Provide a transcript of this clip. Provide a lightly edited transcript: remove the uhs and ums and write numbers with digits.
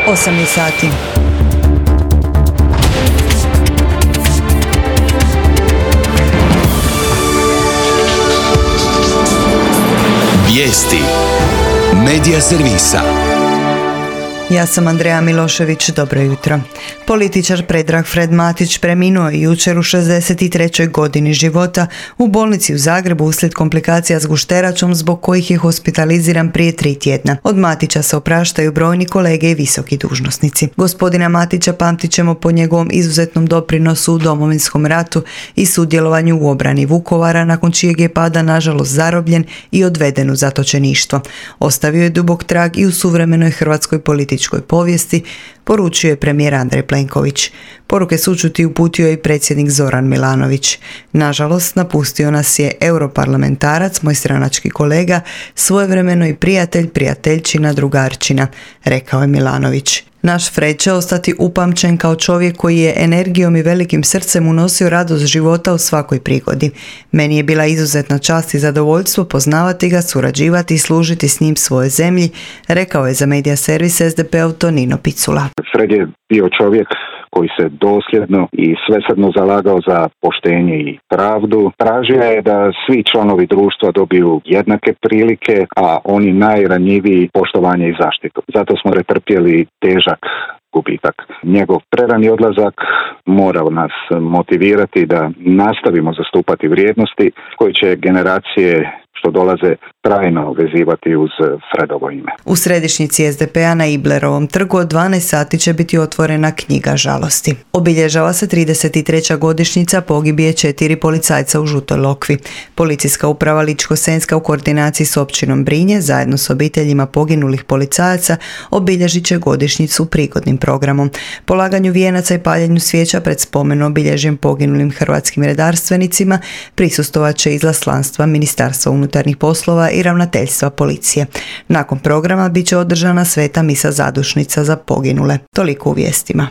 8 je sati. Vijesti Medija servisa. Ja sam Andreja Milošević, dobro jutro. Političar Predrag Fred Matić preminuo je jučer u 63. godini života u bolnici u Zagrebu uslijed komplikacija s gušteračom zbog kojih je hospitaliziran prije 3 tjedna. Od Matića se opraštaju brojni kolege i visoki dužnosnici. Gospodina Matića pamtit ćemo po njegovom izuzetnom doprinosu u Domovinskom ratu i sudjelovanju u obrani Vukovara, nakon čijeg je pada nažalost zarobljen i odveden u zatočeništvo. Ostavio je dubok trag i u suvremenoj hrvatskoj političkoj povijesti, poručio je premijer Andrej Plenković. Poruke sućuti uputio je i predsjednik Zoran Milanović. Nažalost, napustio nas je europarlamentarac, moj stranački kolega, svojevremeno i prijatelj, prijateljčina, drugarčina, rekao je Milanović. Naš Fred će ostati upamćen kao čovjek koji je energijom i velikim srcem unosio radost života u svakoj prigodi. Meni je bila izuzetna čast i zadovoljstvo poznavati ga, surađivati i služiti s njim svojoj zemlji, rekao je za medija servis SDP-ov Tonino Picula. Fred je bio čovjek koji se dosljedno i svesrdno zalagao za poštenje i pravdu. Tražio je da svi članovi društva dobiju jednake prilike, a oni najranjiviji poštovanje i zaštitu. Zato smo pretrpjeli težak gubitak. Njegov prerani odlazak mora nas motivirati da nastavimo zastupati vrijednosti koje će generacije što dolaze trajno vezivati uz Fredovo ime. U središnjici SDP-a na Iblerovom trgu od 12 sati će biti otvorena knjiga žalosti. Obilježava se 33. godišnjica pogibije 4 policajca u Žutoj Lokvi. Policijska uprava Ličko-senjska u koordinaciji s općinom Brinje zajedno s obiteljima poginulih policajaca obilježit će godišnjicu prigodnim programom. Polaganju vijenaca i paljenju svijeća pred spomen obilježjem poginulim hrvatskim redarstvenicima prisustvovat će izaslanstva Ministarstva unutarnjih poslova i ravnateljstva policije. Nakon programa bit će održana sveta misa zadušnica za poginule. Toliko u vijestima.